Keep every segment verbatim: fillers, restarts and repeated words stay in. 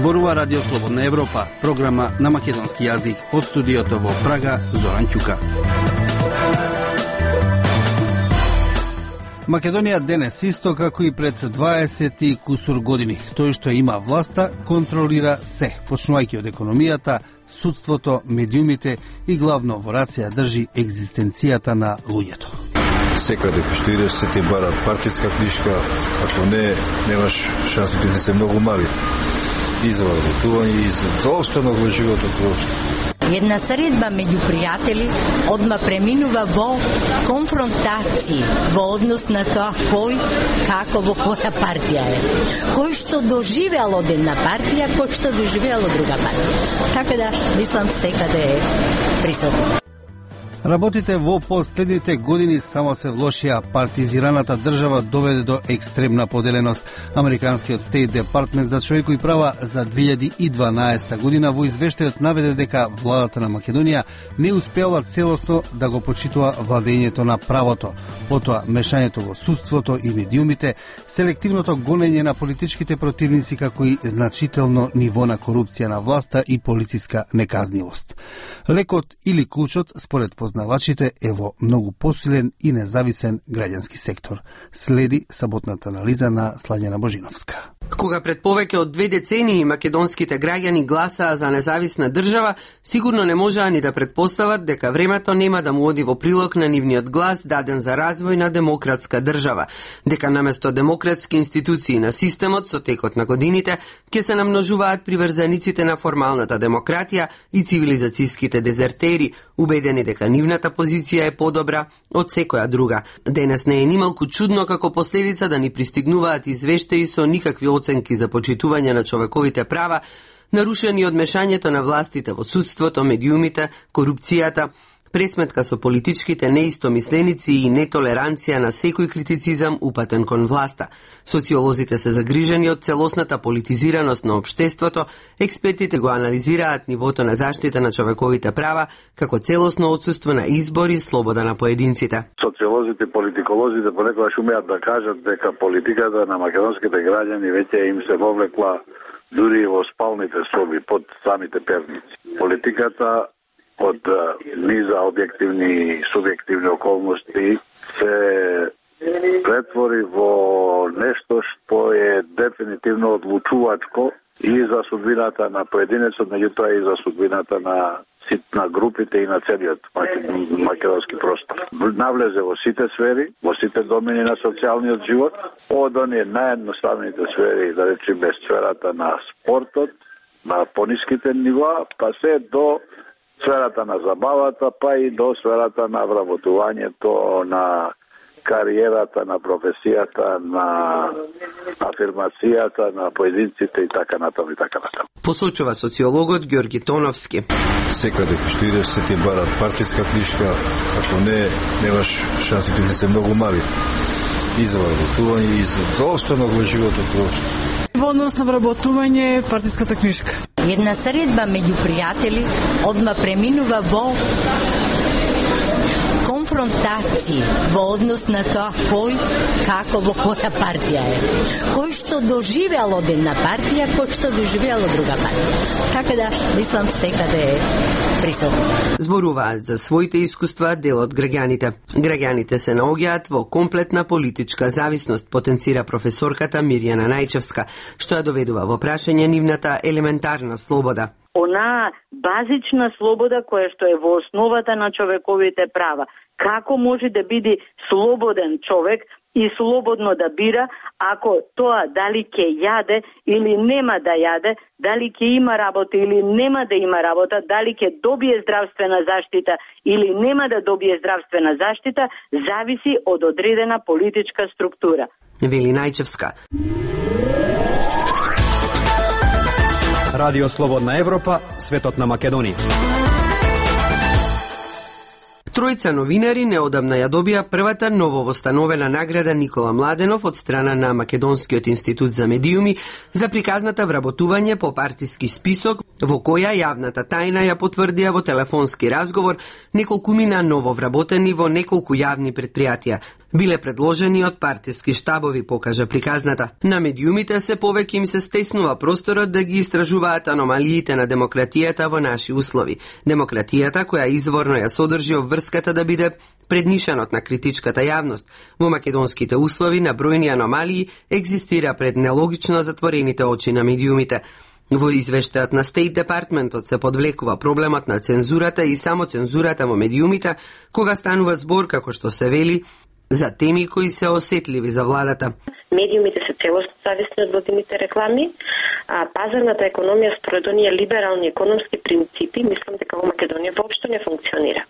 Зборува Радио Слободна Европа, програма на македонски јазик од студиото во Прага, Зоран Ќука. Македонија денес исто како и пред дваесет и кусур години. Тој што има власта контролира се, почнувајќи од економијата, судството, медиумите и главно во рација држи екзистенцијата на луѓето. Секаде што идеш се ти барат партиска книжка, ако не, немаш шансите да се многу мали. И за работување, и за заостанок во животот воопшто. Една средба меѓу пријатели одма преминува во конфронтации во однос на тоа кој, како, во која партија е. Кој што доживеал од една партија, кој што доживеал од друга партија. Така да, мислам, секаде е присутно. Работите во последните години само се влошија. Партизираната држава доведе до екстремна поделеност. Американскиот Стейт Департмент за човекови права за две илјади и дванаесета година во извештајот наведе дека владата на Македонија не успела целосно да го почитува владењето на правото, потоа мешањето во судството и медиумите, селективното гонење на политичките противници, како и значително ниво на корупција на власта и полициска неказнивост. Лекот или клучот, според познавачите, е во многу посилен и независен граѓански сектор. Следи саботната анализа на Слаѓана Божиновска. Кога пред повеќе од две децении македонските граѓани гласаа за независна држава, сигурно не можеа ни да предпостават дека времето нема да му оди во прилог на нивниот глас даден за развој на демократска држава, дека наместо демократски институции на системот со текот на годините ќе се намножуваат приврзаниците на формалната демократија и цивилизацијските дезертери, убедени дека нивната позиција е подобра од секоја друга. Денес не е нималку чудно како последица да ни пристигнуваат извештаи со никакви оценки за почитување на човековите права, нарушени од мешањето на властите во судството, медиумите, корупцијата, пресметка со политичките неистомисленици и нетолеранција на секој критицизам упатен кон власта. Социолозите се загрижени од целосната политизираност на општеството, експертите го анализираат нивото на заштита на човековите права како целосно отсуство на избор и слобода на поединците. Социолозите и политиколозите понекогаш умеат да кажат дека политиката на македонските граѓани веќе им се вовлекла дури во спалните соби под самите перници. Политиката од низа објективни и субјективни околности се претвори во нешто што е дефинитивно одлучувачко и за судбината на поединецот, меѓутоа и за судбината на на групите и на целиот македонски простор. Навлезе во сите сфери, во сите домени на социјалниот живот, од оние наједноставните сфери, да речеме сферата на спортот, на пониските нива, па се до сферата на забавата, па и до сферата на вработувањето, на кариерата, на професијата, на афирмацијата на поединците и така натаму и така натаму. Посочува социологот Ѓорги Тоновски. Секаде што идеш се ти барат партиска книжка, ако не, немаш шансите да се многу мали. И за вработување, и за заостанок во животот воопшто. Во однос на вработување, партиската книжка. Една средба меѓу пријатели одма преминува во конфронтации во однос на тоа кој, како, во која партија е. Кој што доживеал од една партија, кој што доживеал од друга партија. Така да, мислам, секаде е присутно. Зборуваат за своите искуства дел од граѓаните. Граѓаните се наоѓаат во комплетна политичка зависност, потенцира професорката Мирјана Најчевска, што ја доведува во прашање нивната елементарна слобода. Она базична слобода која што е во основата на човековите права. Како може да биде слободен човек и слободно да бира ако тоа дали ќе јаде или нема да јаде, дали ќе има работа или нема да има работа, дали ќе добие здравствена заштита или нема да добие здравствена заштита, зависи од одредена политичка структура. Вели Најчевска. Радио Слободна Европа, светот на Македонија. Тројца новинари неодамна ја добија првата нововостановена награда Никола Младенов од страна на Македонскиот институт за медиуми за приказната вработување по партиски список, во која јавната тајна ја потврдија во телефонски разговор неколкумина нововработени во неколку јавни предпријатија. биле предложени од партиски штабови, покажа приказната. На медиумите се повеќе им се стеснува просторот да ги истражуваат аномалиите на демократијата во наши услови. Демократијата која изворно ја содржи обврската да биде преднишанот на критичката јавност. Во македонските услови на бројни аномалии екзистира пред нелогично затворените очи на медиумите. Во извештајот на State Departmentот се подвлекува проблемот на цензурата и само цензурата во медиумите, кога станува збор, како што се вели, за теми кои се осетливи за владата. Медиумите се целосно зависни од владините реклами, а пазарната економија според оние либерални економски принципи, мислам дека во Македонија воопшто не функционира.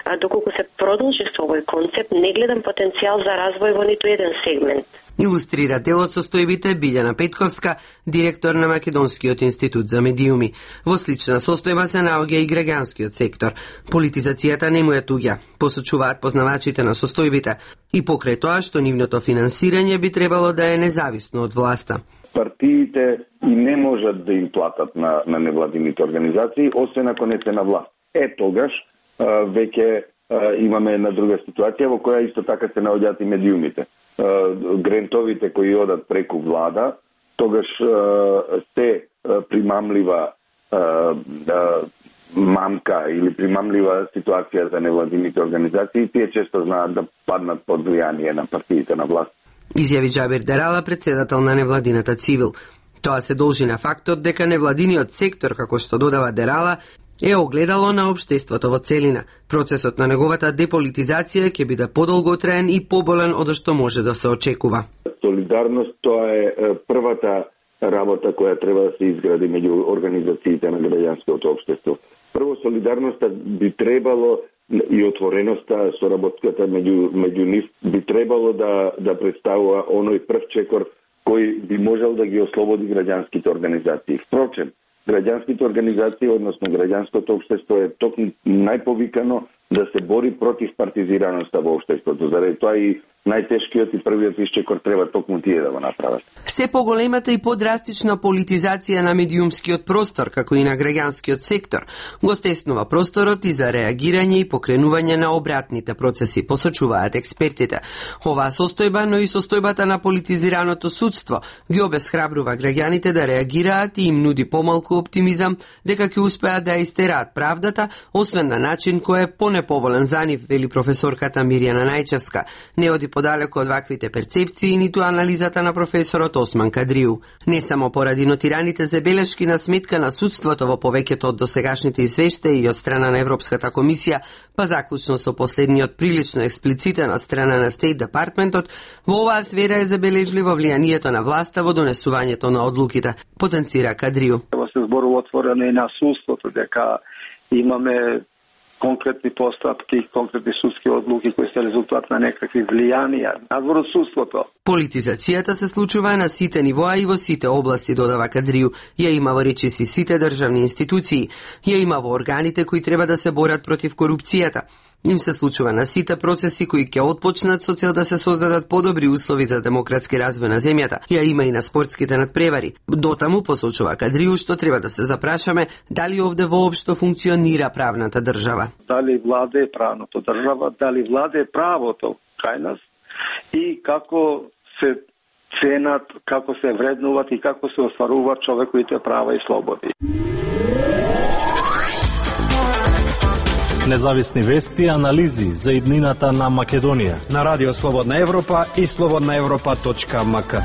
А доколку се продолжи со овој концепт, не гледам потенцијал за развој во ниту еден сегмент. Илустрира делот состојбите Билјана Петковска, директор на Македонскиот институт за медиуми. Во слична состојба се наоѓа и граѓанскиот сектор. Политизацијата не му е туѓа, посочуваат познавачите на состојбите, и покрај тоа што нивното финансирање би требало да е независно од власта. Партиите и не можат да им платат на, на невладините организации, освен ако не се на власт. Е, тогаш а, веќе а, имаме една друга ситуација во која исто така се наоѓаат и медиумите. Грентовите кои одат преку влада, тогаш се примамлива мамка или примамлива ситуација за невладините организации, тие често знаат да паднат под влијание на партиите на власт. Изјави Џабир Дерала, председател на невладината Цивил. Тоа се должи на фактот дека невладиниот сектор, како што додава Дерала, е огледало на општеството во целина. Процесот на неговата деполитизација ќе биде подолготраен и поболен од што може да се очекува. Солидарност, тоа е првата работа која треба да се изгради меѓу организациите на граѓанското општество. Прво, солидарноста би требало и отвореноста, соработката меѓу, меѓу нив би требало да, да представува оној прв чекор кој би можел да ги ослободи граѓанските организации. Впрочем, граѓанските организации, односно граѓанското општество е токму најповикано да се бори против партизираноста во општеството. Заради тоа и најтешкиот и првиот исчекор треба токму тие да го направат. Се поголемата и подрастична политизација на медиумскиот простор, како и на граѓанскиот сектор, го стеснува просторот и за реагирање и покренување на обратните процеси, посочуваат експертите. Оваа состојба, но и состојбата на политизираното судство, ги обесхрабрува граѓаните да реагираат и им нуди помалку оптимизам дека ќе успеат да истераат правдата, освен на начин кој е понеповолен за нив, вели професорката Мирјана Најчевска. Не оди подалеку од ваквите перцепции, ниту анализата на професорот Осман Кадриу. Не само поради нотираните забелешки на сметка на судството во повеќето од досегашните извештаи и од страна на Европската комисија, па заклучно со последниот прилично експлицитен од страна на State Departmentот, во оваа сфера е забележливо влијанието на власта во донесувањето на одлуките, потенцира Кадриу. Се зборува отворено и на судството, дека имаме конкретни постапки, конкретни судски одлуки кои се резултат на некакви влијанија надвор од судството. Политизацијата се случува на сите нивоа и во сите области, додава Кадриу. Ја има во речиси сите државни институции. Ја има во органите кои треба да се борат против корупцијата. Им се случува на сите процеси кои ќе отпочнат со цел да се создадат подобри услови за демократски развој на земјата. Ја има и на спортските надпревари. Дотаму, посочува Кадриу, што треба да се запрашаме дали овде воопшто функционира правната држава. Дали владе правното држава, дали владе правото кај нас и како се ценат, како се вреднуват и како се остваруваат човековите права и слободи. Независни вести и анализи за иднината на Македонија на Радио Слободна Европа и слободна европа точка ем ка.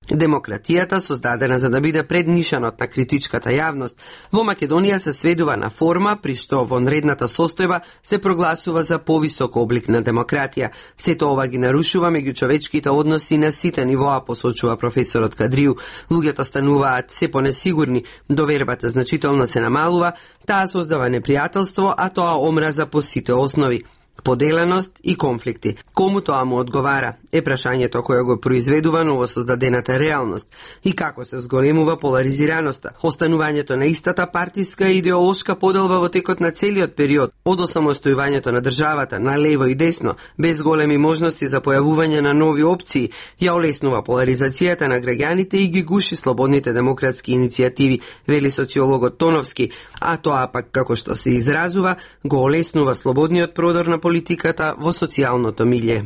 Демократијата, создадена за да биде преднишанот на критичката јавност, во Македонија се сведува на форма, при што во нредната состојба се прогласува за повисок облик на демократија. Сето ова ги нарушува меѓучовечките односи на сите нивоа, посочува професорот Кадриу. Луѓето стануваат се понесигурни, довербата значително се намалува, таа создава непријателство, а тоа омраза по сите основи. поделеност и конфликти. Кому тоа му одговара е прашањето кое го произведува новосоздадената реалност и како се зголемува поларизираноста, останувањето на истата партиска и идеолошка поделба во текот на целиот период од осамостојувањето на државата на лево и десно, без големи можности за појавување на нови опции, ја олеснува поларизацијата на граѓаните и ги гуши слободните демократски иницијативи, вели социологот Тоновски, а тоа пак, како што се изразува, го олеснува слободниот продор на политиката во социјалното милје.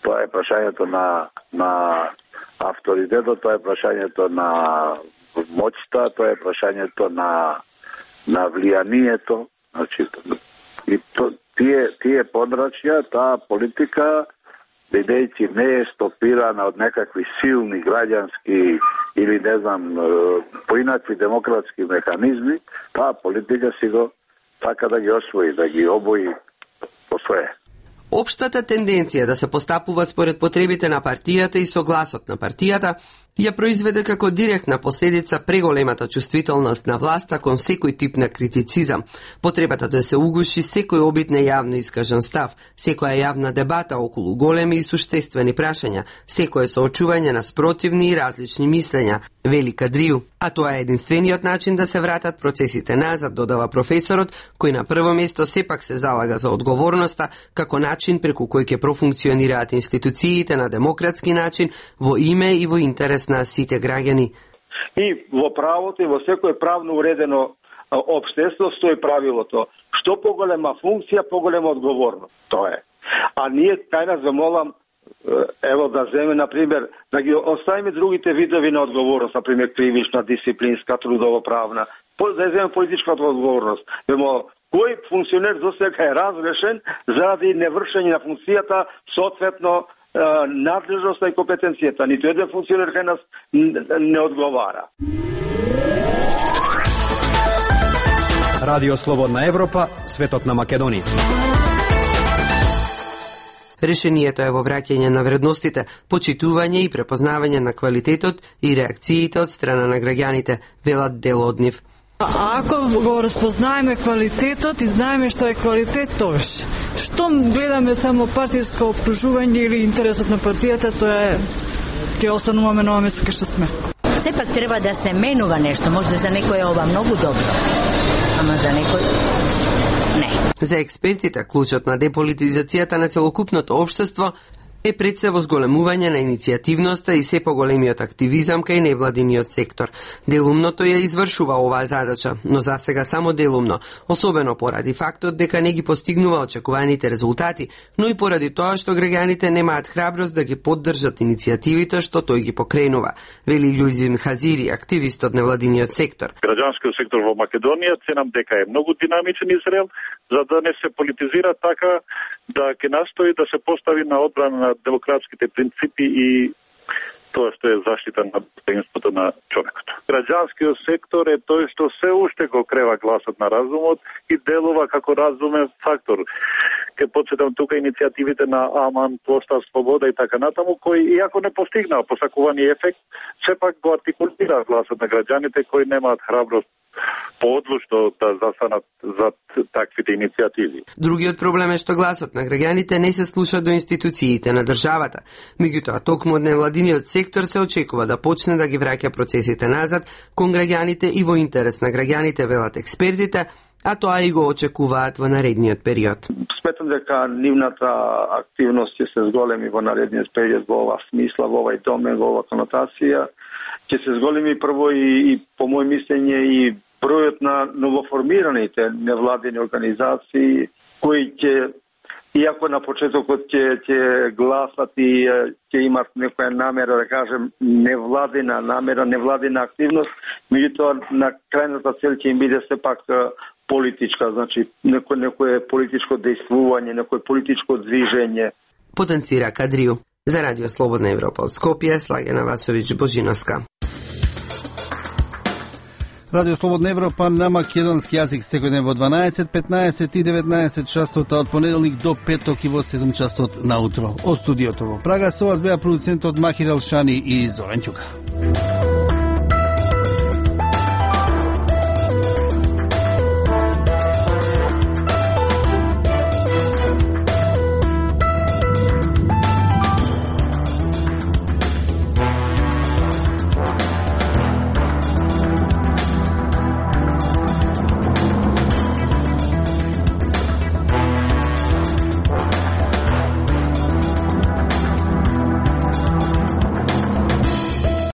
Тоа е прашањето на, на авторитетот, тоа е прашањето на моќта, тоа е прашањето на, на влијанието. Значи, и то, тие, тие подрачја, таа политика, бидејќи не е стопирана од некакви силни граѓански или не знам, поинакви демократски механизми, таа политика си го така да ги освои, да ги обои по свое. Општата тенденција да се постапува според потребите на партијата и согласот на партијата ја произведе како директна последица преголемата чувствителност на власта кон секој тип на критицизам, потребата да се угуши секој обид на јавно искажан став, секоја јавна дебата околу големи и суштествени прашања, секое соочување на спротивни и различни мислења, вели Кадрију. А тоа е единствениот начин да се вратат процесите назад, додава професорот, кој на прво место сепак се залага за одговорноста како начин преку кој ќе профункционираат институциите на демократски начин во име и во интерес на сите граѓани. И во правото и во секое правно уредено општество стои правилото: што поголема функција, поголема одговорност. Тоа е. А ние кај нас замолам, ево да земе, например, да ги оставиме другите видови на одговорност, например кривична, дисциплинска, трудово-правна, да земе политичка одговорност. Вемо, кој функционер до сега е разрешен заради невршење на функцијата, соодветно надлежноста и компетенцијата. Ниту еден функционер кај нас не одговара. Радио Слободна Европа, светот на Македонија. Решението е во враќање на вредностите, почитување и препознавање на квалитетот и реакциите од страна на граѓаните, велат дел од нив. Ако го распознаеме квалитетот и знаеме што е квалитет, тогаш што гледаме само партиско обкружување или интересот на партијата, тоа е ќе остануваме на место кај што сме. Сепак треба да се менува нешто, може за некој е ова многу добро, ама за некој не. За експертите, клучот на деполитизацијата на целокупното општество е пред се во зголемување на иницијативноста и се поголемиот активизам кај невладиниот сектор. Делумно тој ја извршува оваа задача, но за сега само делумно, особено поради фактот дека не ги постигнува очекуваните резултати, но и поради тоа што граѓаните немаат храброст да ги поддржат иницијативите што тој ги покренува, вели Љузин Хазири, активист од невладиниот сектор. Граѓанскиот сектор во Македонија ценам дека е многу динамичен и зрел, за да не се политизира така да ќе настои да се постави на одбрана на демократските принципи и тоа што е заштита на достоинството на човекот. Граѓанскиот сектор е тој што се уште го крева гласот на разумот и делува како разумен фактор. Ке подсетам тука иницијативите на Аман, Простав, Слобода и така натаму, кои иако не постигнаа посакуваниот ефект, сепак го артикулира гласот на граѓаните кои немаат храброст поодлучно да застанат за таквите иницијативи. Другиот проблем е што гласот на граѓаните не се слуша до институциите на државата. Меѓутоа, токму од невладиниот сектор се очекува да почне да ги враќа процесите назад кон граѓаните и во интерес на граѓаните, велат експертите, а тоа и го очекуваат во наредниот период. Сметам дека нивната активност ќе се зголеми во наредниот период во ова смисла, во овај домен, во ова конотација. Ќе се зголеми прво и, и по мој мислење и бројот на новоформираните невладени организации кои ќе, иако на почетокот ќе ќе гласат и ќе имат некоја намера, да кажем, невладена намера, невладена активност, меѓутоа на крајната цел ќе им биде сепак политичка, значи некој некое политичко дејствување, некој политичко движење. Потенцира Кадрију. За Радио Слободна Европа од Скопје, Слагена Васовиќ Божиновска. Радио Слободна Европа на македонски јазик секој ден во дванаесет, петнаесет и деветнаесет часот, од понеделник до петок и во седум часот наутро. Од студиото во Прага со вас беа продуцентот Махир Алшани и Зоран Ќука.